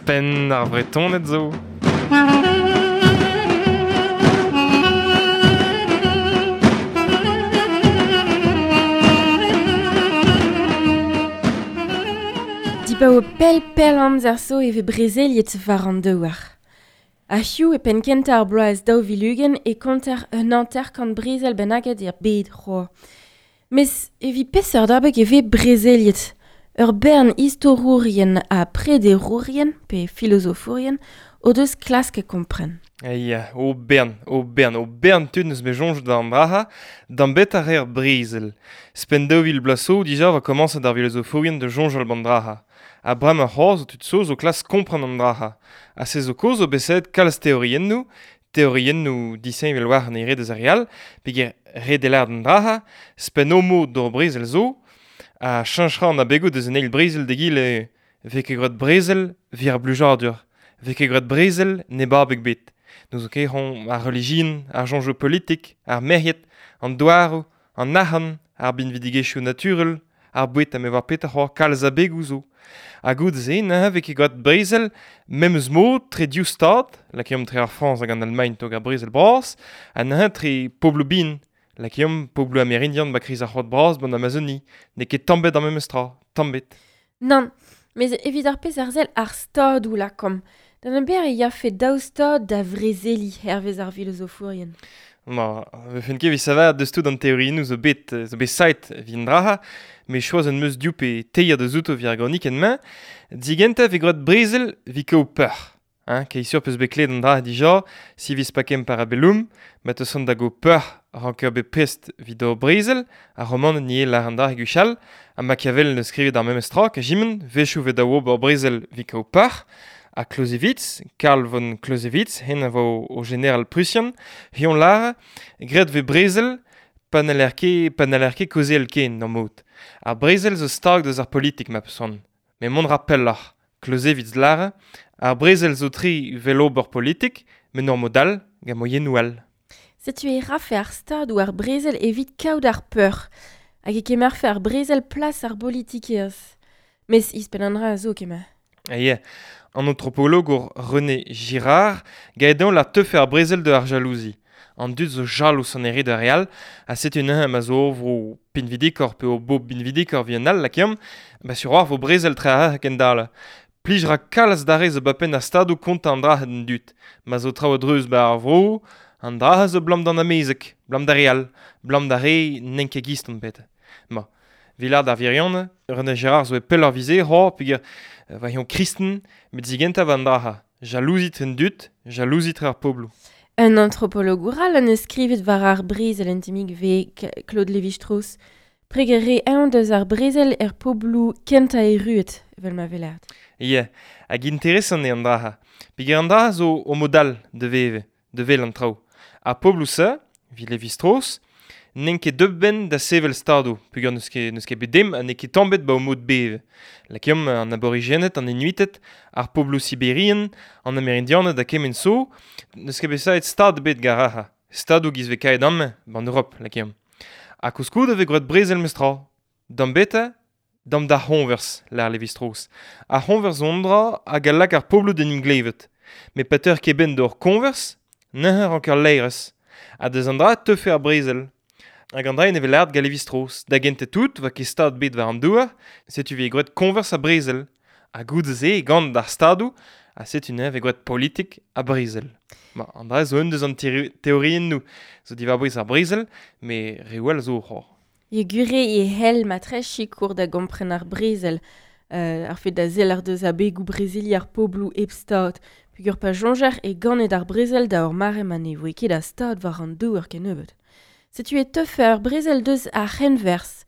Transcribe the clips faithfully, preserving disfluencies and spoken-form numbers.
Penn ar Vretoned zo. Dibaoe pell pell amzer zo e vez brezeliet war an douar. A hiziv e penn kentañ ar bloaz daou vil ugent e konter un hanter-kant brezel bennaket er bed c'hoazh. Mes evit peseurt abeg e vez brezeliet. Ur bern istorourien ha prederourien, pe filozofourien, o deus klask kompren. Ya, o bern, o bern, o bern tud neus bet soñj d'an draha, d'an bet ar er brezel. Spen daou vil bloaz zo dija va komañset ar filozofourien da soñjal b'an draha. Ha bremañ c'hoazh zo tud zo zo klask kompren an draha. Ha se zo kaoz zo bet savet kalz teoriennoù, teoriennoù disheñvel war an ere deus ar re all, peogwir ret eo lâret an draha, spen o mod d'ur brezel zo, ha cheñch ra an abegoù deus an eil brezel d'egile vez ket graet brezel evit ar blijadur, vez ket graet brezel neb abeg bet. N'eus ket c'hoant ar relijion, ar soñjoù politik, ar merc'hed, an douaroù, an arc'hant, ar binvidigezhioù naturel, ar boued ha me oar petra c'hoazh kalz abegoù zo. Ha goude-se neuze vez ket graet brezel memes mod tre div stad, lakaomp tre ar Frañs hag an Almagn tog ar brezel bras, ha neuze tre pobloù bihan, lakaomp pobloù amerindian ba kriz ar c'hoad bras b'an Amazonie, n'eo ket tamm ebet ar memes tra, tamm ebet. Nann, mes evit ar pezh ar sell ar stadoù lakaomp. D'an ember e yafe daou stad da vrezeliñ hervez ar filozofourien. Ma, vefen ket evit saver deus tout an teoriennoù zo bet, zo bet saet evit an draha, met choaz an meus div pe teir deus outo evit ar gronikenn-mañ, digentañ evit graet brezel evit kaout peur. Hein, kei sur peus bet klevet an dra dija, si vis pakem parabellum, ma teus an da go peur ranker bet prest evit ur brezel, ar roman ni lar an dra gwechall, ha Machiavel neus skrivet ar memes tra, kajimen, wechoù vet da ober brezel evit kaout peur, ha Clausewitz, Karl von Clausewitz, hen a vo o general prusian, hion lar, graet vez brezel, pa n'haller ket, pa n'haller ket kaozeal ken d'an mod. Ar brezel zo stag deus ar politik ma peus c'hoant. Met mont ra pelloc'h. Clausewitz lar, ar brezel zo tri vel ober politik, met n'ur mod all, gant moiennoù all. Setu e rafe ar stad ou ar brezel evit kaout ar peur, hag e kemerfe ar brezel plas ar politikerezh. Mes ispenn an dra a zo kemer. Ah ya, an antropologour René Girard gaedañ la teufe ar brezel de ar jalouzi. An dud zo jalous an ere da re all, ha setu neuze ma zo vro pinvidikoc'h pe o bob pinvidikoc'h vi an all lakaomp, ba sur war vo brezel tre ar kendal. Plij ra kalz d'ar re zo ba penn ar stadoù kontañ an dra d'an dud. Ma zo traoù a-dreuz ba ar vro, an dra zo blam d'an amezeg, blam d'ar re all, blam d'ar re n'en ket gist an bet. Ma, Villard ar Virion, René Girard zo e pell ar vize, ho, peogwir va hion kristen, met zigentañ va an dra. Jalouzit en dud, jalouzit ar pobloù. Un antropologour all an eus skrivet war ar brezel en timig vez Claude Lévi-Strauss. Preger re eñ deus ar brezel er pobloù kentañ erruet, evel ma velert. Ya, hag interesant eo an dra. Peogwir an dra zo o mod all de veve, de vel an traoù. Ar pobloù-se, vi Lévi-Strauss, n'en ket deut benn da sevel stadoù, peogwir n'eus ket, n'eus ket bet dem ha n'eo ket tamm bet ba o mod beve. Lakaomp an aborigened, an Inuited, ar pobloù siberian, an Amerindianed ha kement zo, n'eus ket bet savet stad bet garaha. Stadoù giz vez kaet amañ, b'an Europ, lakaomp. Ha koulskoude vez graet brezel mestra. D'am beta, d'am d'ar c'hoñvers, lâr Lévi-Strauss. Ar c'hoñvers zo un dra hag a lak ar pobloù d'en em glevet. Met pa teur ket benn d'ur koñvers, neuze ranker laerezh. Ha deus an dra teufe ar brezel. Hag an dra ne vez lâret gant Lévi-Strauss. Da gentañ tout, va ket stad bet war an douar, setu vez graet koñvers ha brezel. Ha goude-se gant ar stadoù, ha setu neuze vez graet politik ha brezel. Ma, an dra zo un deus an teoriennoù zo diwar-bouez ar brezel, met reoù all zo c'hoazh. E gure e hell matre sikour da gompren ar brezel, euh, ar fet da sell ar deus abegoù brezeliñ ar pobloù hep stad, peogwir pa soñjer e ganet ar brezel da ur mare ma ne voe ket a stad war an douar kennebeut. Setu e teufe ar brezel deus ar c'henwerzh.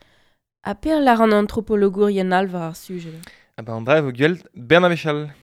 Ha per lar an antropologourien all war ar sujed. Ah ba an dra e vo gwell bern a wechall.